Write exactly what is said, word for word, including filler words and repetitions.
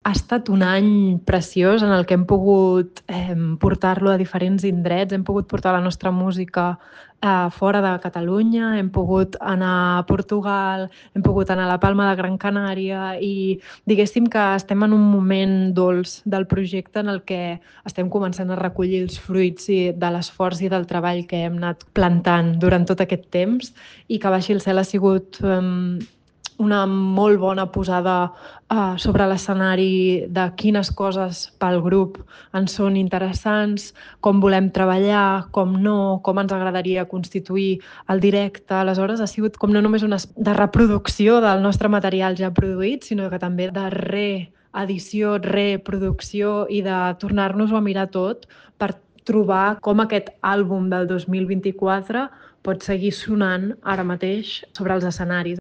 Ha estat un any preciós en el que hem pogut eh, portar-lo a diferents indrets, hem pogut portar la nostra música eh, fora de Catalunya, hem pogut anar a Portugal, hem pogut anar a la Palma de Gran Canària i diguéssim que estem en un moment dolç del projecte en el que estem començant a recollir els fruits i de l'esforç i del treball que hem anat plantant durant tot aquest temps i que Baixi el cel ha sigut eh, una molt bona posada uh, sobre l'escenari de quines coses pel grup ens són interessants, com volem treballar, com no, com ens agradaria constituir el directe. Aleshores, ha sigut com no només una de reproducció del nostre material ja produït, sinó que també de reedició, reproducció i de tornar-nos-ho a mirar tot per trobar com aquest àlbum del dos mil vint-i-quatre pot seguir sonant ara mateix sobre els escenaris.